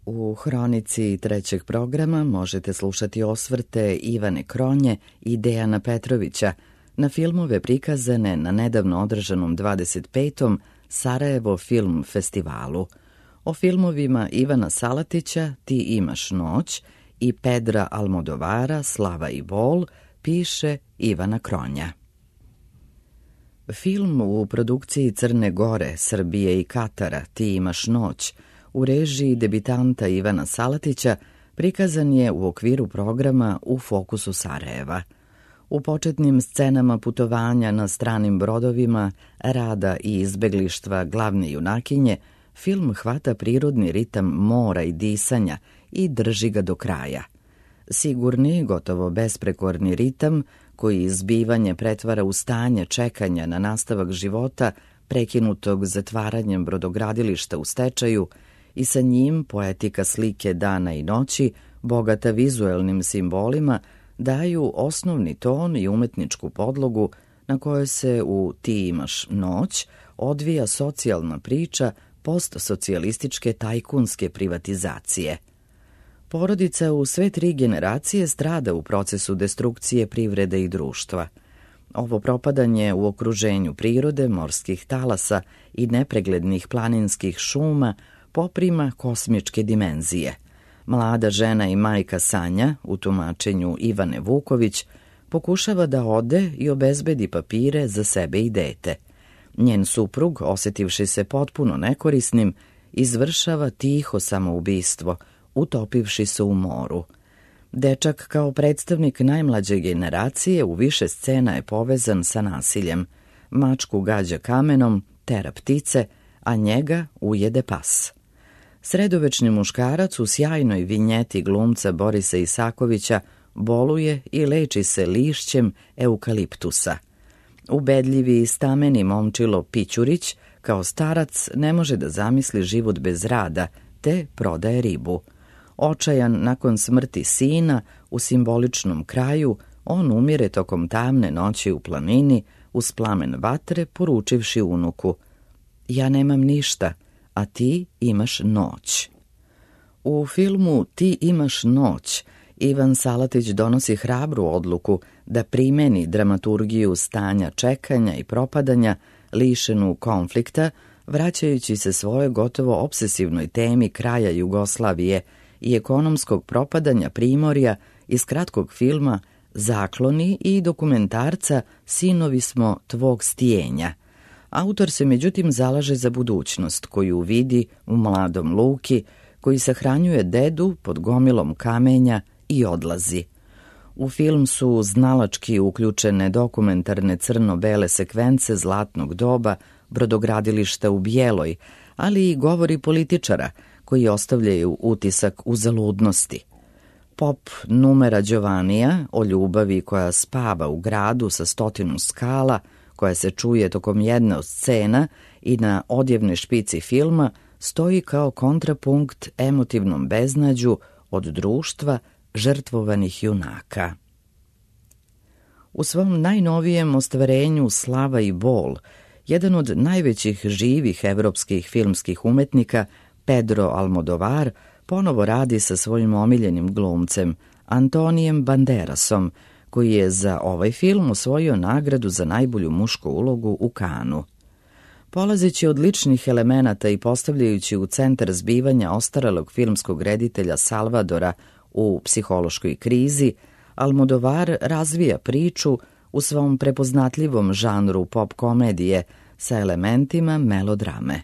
U hronici trećeg programa možete slušati osvrte Ivane Kronje i Dejana Petrovića na filmove prikazane na nedavno održanom 25. Sarajevo film festivalu. O filmovima Ivana Salatića Ti imaš noć i Pedra Almodovara Slava i bol piše Ivana Kronja. Film u produkciji Crne Gore, Srbije i Katara Ti imaš noć u režiji debitanta Ivana Salatića prikazan je u okviru programa U fokusu Sarajeva. U početnim scenama putovanja na stranim brodovima, rada i izbeglištva glavne junakinje, film hvata prirodni ritam mora i disanja i drži ga do kraja. Sigurni, gotovo besprekorni ritam koji izbivanje pretvara u stanje čekanja na nastavak života prekinutog zatvaranjem brodogradilišta u stečaju i sa njim poetika slike dana i noći, bogata vizuelnim simbolima, daju osnovni ton i umetničku podlogu na kojoj se u Ti imaš noć odvija socijalna priča postsocijalističke tajkunske privatizacije. Porodica u sve 3 generacije strada u procesu destrukcije privrede i društva. Ovo propadanje u okruženju prirode, morskih talasa i nepreglednih planinskih šuma poprima kosmičke dimenzije. Mlada žena i majka Sanja, u tumačenju Ivane Vuković, pokušava da ode i obezbedi papire za sebe i dete. Njen suprug, osetivši se potpuno nekorisnim, izvršava tiho samoubistvo, utopivši se u moru. Dečak kao predstavnik najmlađe generacije u više scena je povezan sa nasiljem. Mačku gađa kamenom, tera ptice, a njega ujede pas. Sredovečni muškarac u sjajnoj vinjeti glumca Borisa Isakovića boluje i leči se lišćem eukaliptusa. Ubedljivi i stameni momčilo Pićurić kao starac ne može da zamisli život bez rada, te prodaje ribu. Očajan nakon smrti sina, u simboličnom kraju, on umire tokom tamne noći u planini, uz plamen vatre, poručivši unuku: ja nemam ništa, a ti imaš noć. U filmu Ti imaš noć Ivan Salatić donosi hrabru odluku da primeni dramaturgiju stanja čekanja i propadanja, lišenu konflikta, vraćajući se svojoj gotovo obsesivnoj temi kraja Jugoslavije i ekonomskog propadanja primorja iz kratkog filma Zakloni i dokumentarca Sinovi smo tvog stijenja. Autor se međutim zalaže za budućnost koju vidi u mladom Luki, koji sahranjuje dedu pod gomilom kamenja i odlazi. U film su znalački uključene dokumentarne crno-bele sekvence zlatnog doba brodogradilišta u Bijeloj, ali i govori političara koji ostavljaju utisak uzaludnosti. Pop numera Đovanija o ljubavi koja spava u gradu sa 100 skala, koja se čuje tokom jedne od scena i na odjevnoj špici filma, stoji kao kontrapunkt emotivnom beznađu od društva žrtvovanih junaka. U svom najnovijem ostvarenju Slava i bol, jedan od najvećih živih evropskih filmskih umetnika, Pedro Almodovar, ponovo radi sa svojim omiljenim glumcem, Antonijem Banderasom, koji je za ovaj film osvojio nagradu za najbolju mušku ulogu u Kanu. Polazeći od ličnih elemenata i postavljajući u centar zbivanja ostarelog filmskog reditelja Salvadora u psihološkoj krizi, Almodovar razvija priču u svom prepoznatljivom žanru pop komedije sa elementima melodrame.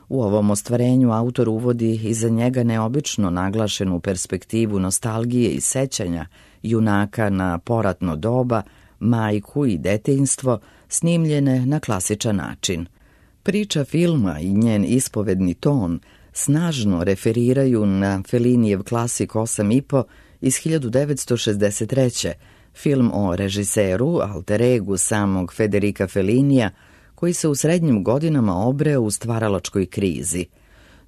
U ovom ostvarenju autor uvodi iza njega neobično naglašenu perspektivu nostalgije i sećanja junaka na poratno doba, majku i detinjstvo, snimljene na klasičan način. Priča filma i njen ispovedni ton snažno referiraju na Felinijev klasik 8,5 iz 1963. Film o režiseru, alter egu samog Federica Felinija, koji se u srednjim godinama obreo u stvaralačkoj krizi.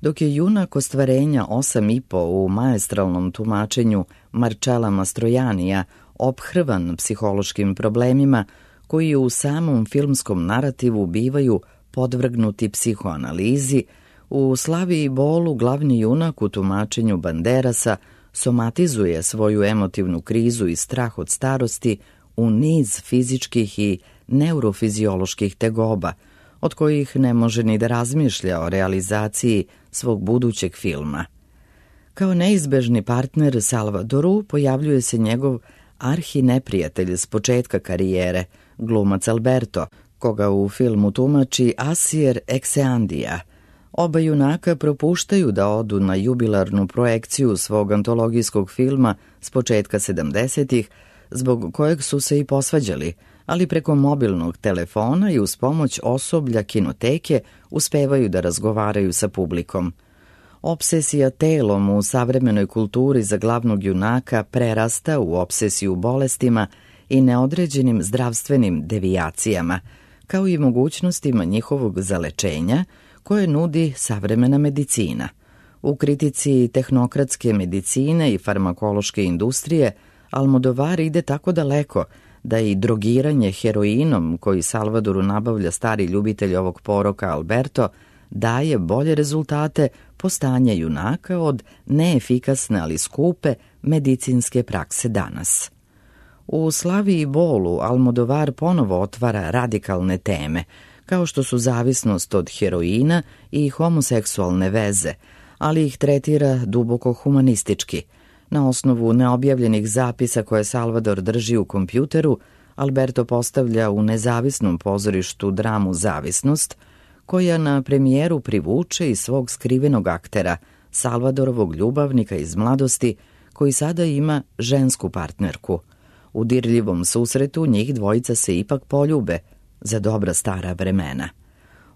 Dok je junak ostvarenja 8,5 u maestralnom tumačenju Marcella Mastroianija ophrvan psihološkim problemima koji u samom filmskom narativu bivaju podvrgnuti psihoanalizi, U Slavi i bolu glavni junak u tumačenju Banderasa somatizuje svoju emotivnu krizu i strah od starosti u niz fizičkih i neurofizioloških tegoba, od kojih ne može ni da razmišlja o realizaciji svog budućeg filma. Kao neizbežni partner Salvadoru pojavljuje se njegov arhineprijatelj s početka karijere, glumac Alberto, koga u filmu tumači Asier Ekseandija. Oba junaka propuštaju da odu na jubilarnu projekciju svog antologijskog filma s početka 70-ih, zbog kojeg su se i posvađali, ali preko mobilnog telefona i uz pomoć osoblja kinoteke uspevaju da razgovaraju sa publikom. Obsesija telom u savremenoj kulturi za glavnog junaka prerasta u obsesiju bolestima i neodređenim zdravstvenim devijacijama, kao i mogućnostima njihovog zalečenja koje nudi savremena medicina. U kritici tehnokratske medicine i farmakološke industrije Almodovar ide tako daleko da i drogiranje heroinom koji Salvadoru nabavlja stari ljubitelj ovog poroka Alberto daje bolje rezultate po stanje junaka od neefikasne ali skupe medicinske prakse danas. U Slavi i bolu Almodovar ponovo otvara radikalne teme, kao što su zavisnost od heroina i homoseksualne veze, ali ih tretira duboko humanistički. Na osnovu neobjavljenih zapisa koje Salvador drži u kompjuteru, Alberto postavlja u nezavisnom pozorištu dramu Zavisnost, koja na premijeru privuče i svog skrivenog aktera, Salvadorovog ljubavnika iz mladosti, koji sada ima žensku partnerku. U dirljivom susretu njih dvojica se ipak poljube za dobra stara vremena.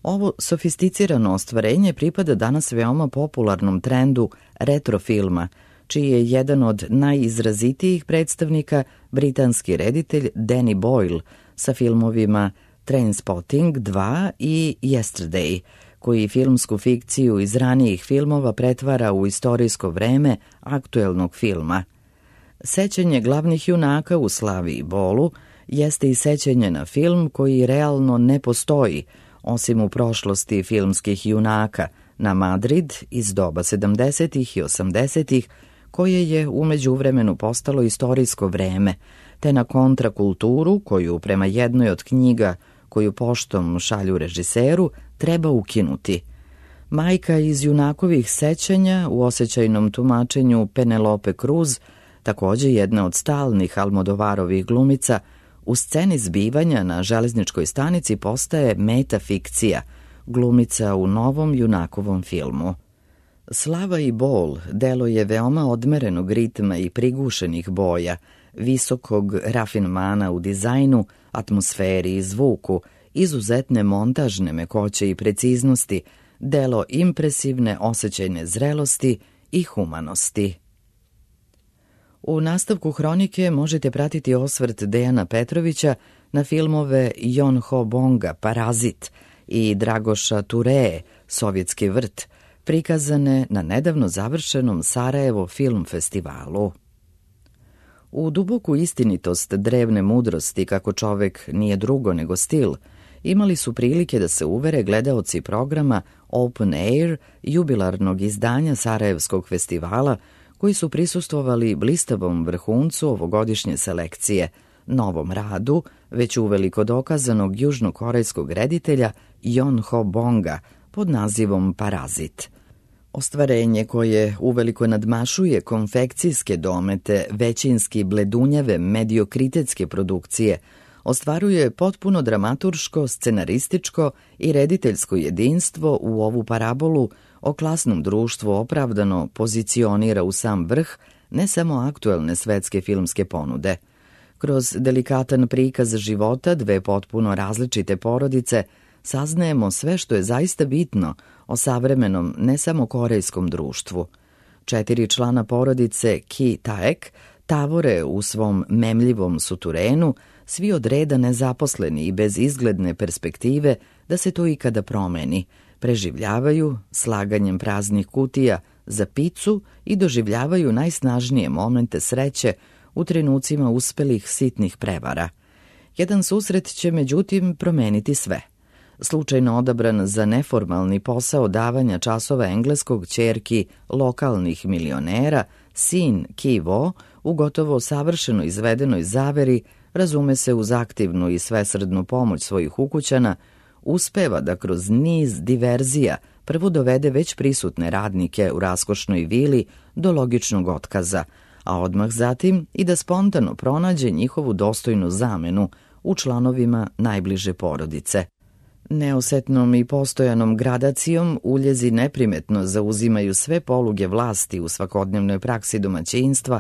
Ovo sofisticirano ostvarenje pripada danas veoma popularnom trendu retrofilma, čiji je jedan od najizrazitijih predstavnika britanski reditelj Danny Boyle sa filmovima Trainspotting 2 i Yesterday, koji filmsku fikciju iz ranijih filmova pretvara u istorijsko vreme aktuelnog filma. Sećanje glavnih junaka u Slavi i bolu jeste i sećanje na film koji realno ne postoji, osim u prošlosti filmskih junaka, na Madrid iz doba 70. i 80. koje je u međuvremenu postalo istorijsko vreme, te na kontrakulturu koju prema jednoj od knjiga koju poštom šalju režiseru treba ukinuti. Majka iz junakovih sećanja u osjećajnom tumačenju Penelope Cruz, takođe jedna od stalnih Almodovarovih glumica, u sceni zbivanja na železničkoj stanici postaje metafikcija, glumica u novom junakovom filmu. Slava i bol delo je veoma odmerenog ritma i prigušenih boja, visokog rafinmana u dizajnu, atmosferi i zvuku, izuzetne montažne mekoće i preciznosti, delo impresivne osjećajne zrelosti i humanosti. U nastavku hronike možete pratiti osvrt Dejana Petrovića na filmove Jon Ho Bonga Parazit i Dragoša Turee Sovjetski vrt, prikazane na nedavno završenom Sarajevo film festivalu. U duboku istinitost drevne mudrosti kako čovek nije drugo nego stil, imali su prilike da se uvere gledaoci programa Open Air jubilarnog izdanja Sarajevskog festivala, koji su prisustvovali blistavom vrhuncu ovogodišnje selekcije, novom radu, već uveliko dokazanog južnokorejskog reditelja Jon Ho Bonga pod nazivom Parazit. Ostvarenje koje uveliko nadmašuje konfekcijske domete, većinski bledunjave mediokritetske produkcije, ostvaruje potpuno dramaturško, scenarističko i rediteljsko jedinstvo u ovu parabolu o klasnom društvu opravdano pozicionira u sam vrh ne samo aktuelne svetske filmske ponude. Kroz delikatan prikaz života dve potpuno različite porodice saznajemo sve što je zaista bitno o savremenom ne samo korejskom društvu. 4 člana porodice Ki Taek tavore u svom memljivom suturenu, svi od reda nezaposleni i bez izgledne perspektive da se to ikada promeni, preživljavaju slaganjem praznih kutija za picu i doživljavaju najsnažnije momente sreće u trenucima uspelih sitnih prevara. Jedan susret će međutim promeniti sve. slučajno odabran za neformalni posao davanja časova engleskog ćerki lokalnih milionera, sin Ki Vo, u gotovo savršeno izvedenoj zaveri, razume se uz aktivnu i svesrdnu pomoć svojih ukućana, uspeva da kroz niz diverzija prvo dovede već prisutne radnike u raskošnoj vili do logičnog otkaza, a odmah zatim i da spontano pronađe njihovu dostojnu zamenu u članovima najbliže porodice. Neosetnom i postojanom gradacijom uljezi neprimetno zauzimaju sve poluge vlasti u svakodnevnoj praksi domaćinstva,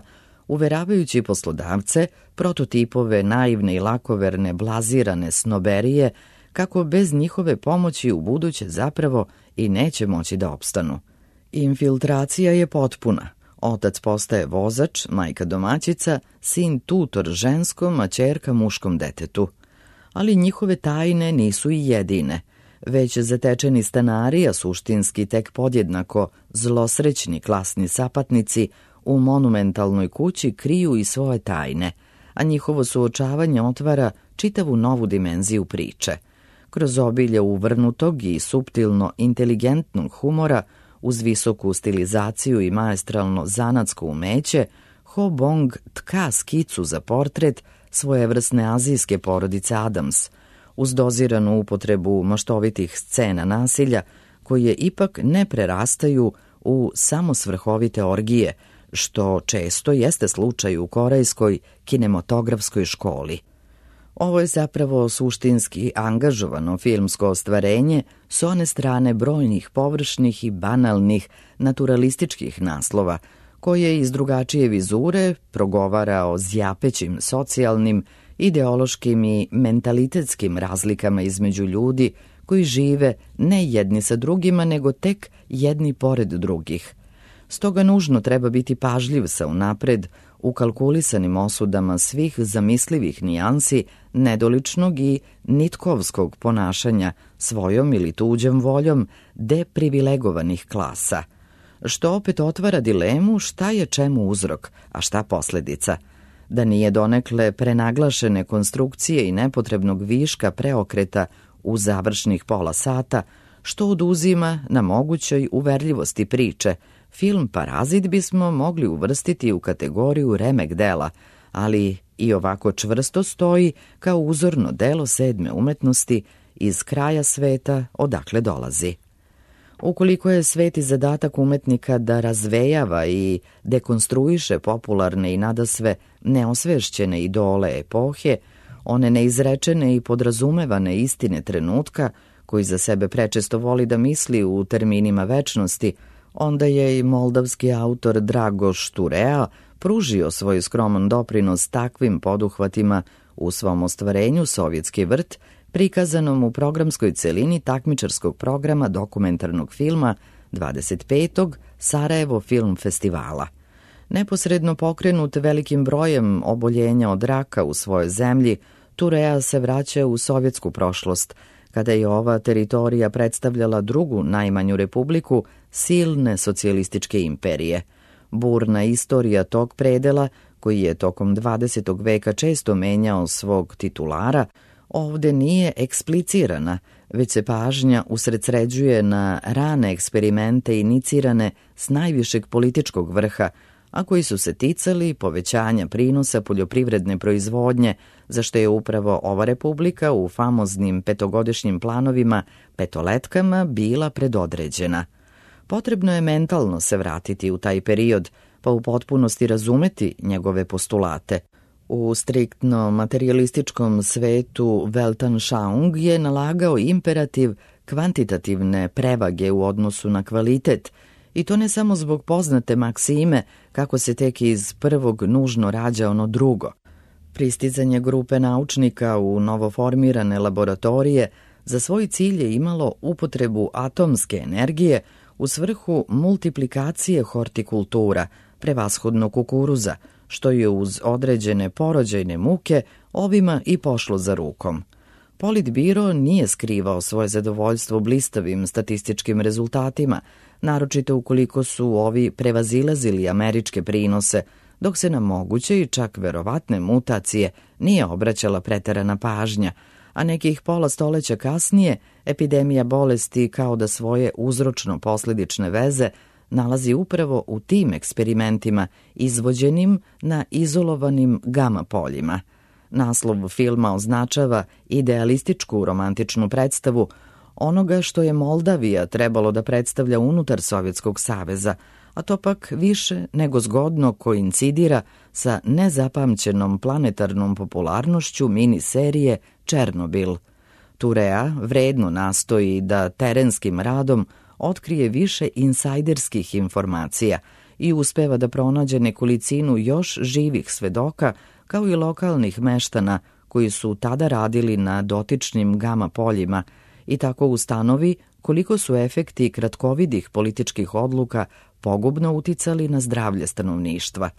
uveravajući poslodavce, prototipove naivne i lakoverne blazirane snoberije, kako bez njihove pomoći u buduće zapravo i neće moći da opstanu. Infiltracija je potpuna. Otac postaje vozač, majka domaćica, sin tutor ženskom, a ćerka muškom detetu. Ali njihove tajne nisu i jedine. Već zatečeni stanari, a suštinski tek podjednako zlosrećni klasni sapatnici, u monumentalnoj kući kriju i svoje tajne, a njihovo suočavanje otvara čitavu novu dimenziju priče. Kroz obilje uvrnutog i suptilno inteligentnog humora, uz visoku stilizaciju i maestralno zanatsko umeće, Ho Bong tka skicu za portret svojevrsne azijske porodice Adams, uz doziranu upotrebu maštovitih scena nasilja, koje ipak ne prerastaju u samosvrhovite orgije, što često jeste slučaj u korejskoj kinematografskoj školi. Ovo je zapravo suštinski angažovano filmsko ostvarenje s one strane brojnih površnih i banalnih naturalističkih naslova, koje iz drugačije vizure progovara o zjapećim socijalnim, ideološkim i mentalitetskim razlikama između ljudi koji žive ne jedni sa drugima, nego tek jedni pored drugih. Stoga nužno treba biti pažljiv sa unapred ukalkulisanim osudama svih zamislivih nijansi nedoličnog i nitkovskog ponašanja svojom ili tuđom voljom deprivilegovanih klasa, što opet otvara dilemu šta je čemu uzrok, a šta posledica. Da nije donekle prenaglašene konstrukcije i nepotrebnog viška preokreta u završnih pola sata, što oduzima na mogućoj uverljivosti priče, film Parazit bismo mogli uvrstiti u kategoriju remek dela, ali i ovako čvrsto stoji kao uzorno delo sedme umetnosti iz kraja sveta odakle dolazi. Ukoliko je sveti zadatak umetnika da razvejava i dekonstruiše popularne i nadasve neosvešćene idole epohe, one neizrečene i podrazumevane istine trenutka, koji za sebe prečesto voli da misli u terminima večnosti, onda je i moldavski autor Dragoš Turea pružio svoj skroman doprinos takvim poduhvatima u svom ostvarenju Sovjetski vrt, prikazanom u programskoj celini takmičarskog programa dokumentarnog filma 25. Sarajevo Film Festivala. Neposredno pokrenut velikim brojem oboljenja od raka u svojoj zemlji, Turea se vraća u sovjetsku prošlost, kada je ova teritorija predstavljala drugu najmanju republiku silne socijalističke imperije. Burna istorija tog predela, koji je tokom 20. veka često menjao svog titulara, ovde nije eksplicirana, već se pažnja usredsređuje na rane eksperimente inicirane s najvišeg političkog vrha, a koji su se ticali povećanja prinosa poljoprivredne proizvodnje, za što je upravo ova republika u famoznim petogodišnjim planovima petoletkama bila predodređena. Potrebno je mentalno se vratiti u taj period, pa u potpunosti razumeti njegove postulate. U striktno materialističkom svetu Weltanschauung je nalagao imperativ kvantitativne prevage u odnosu na kvalitet, i to ne samo zbog poznate maksime kako se tek iz prvog nužno rađa ono drugo. Pristizanje grupe naučnika u novoformirane laboratorije za svoj cilj je imalo upotrebu atomske energije u svrhu multiplikacije hortikultura, prevashodno kukuruza, što je uz određene porođajne muke ovima i pošlo za rukom. Politbiro nije skrivao svoje zadovoljstvo blistavim statističkim rezultatima, naročito ukoliko su ovi prevazilazili američke prinose, dok se na moguće i čak verovatne mutacije nije obraćala preterana pažnja, a nekih pola stoleća kasnije epidemija bolesti kao da svoje uzročno-posledične veze nalazi upravo u tim eksperimentima izvođenim na izolovanim gama poljima. Naslov filma označava idealističku romantičnu predstavu onoga što je Moldavija trebalo da predstavlja unutar Sovjetskog saveza, a to pak više nego zgodno koincidira sa nezapamćenom planetarnom popularnošću miniserije Černobil. Turea vredno nastoji da terenskim radom otkrije više insajderskih informacija i uspeva da pronađe nekolicinu još živih svedoka, kao i lokalnih meštana koji su tada radili na dotičnim gama poljima i tako ustanovi koliko su efekti kratkovidih političkih odluka pogubno uticali na zdravlje stanovništva.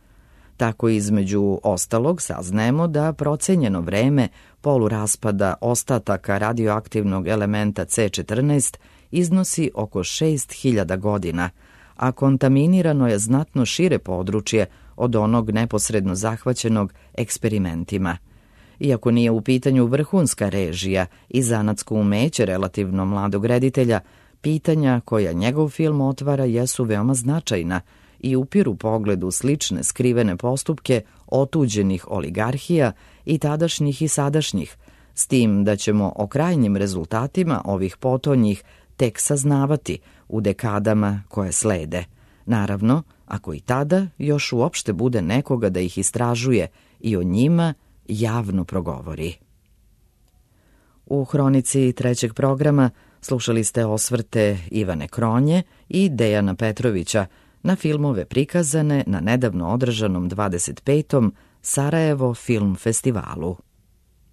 Tako između ostalog saznajemo da procenjeno vreme poluraspada ostataka radioaktivnog elementa C14 iznosi oko 6000 godina, a kontaminirano je znatno šire područje od onog neposredno zahvaćenog eksperimentima. Iako nije u pitanju vrhunska režija i zanatsko umeće relativno mladog reditelja, pitanja koja njegov film otvara jesu veoma značajna i upiru pogled u slične skrivene postupke otuđenih oligarhija i tadašnjih i sadašnjih, s tim da ćemo o krajnjim rezultatima ovih potonjih tek saznavati u dekadama koje slede. Naravno, ako i tada još uopšte bude nekoga da ih istražuje i o njima javno progovori. U hronici trećeg programa slušali ste osvrte Ivane Kronje i Dejana Petrovića na filmove prikazane na nedavno održanom 25. Sarajevo film festivalu.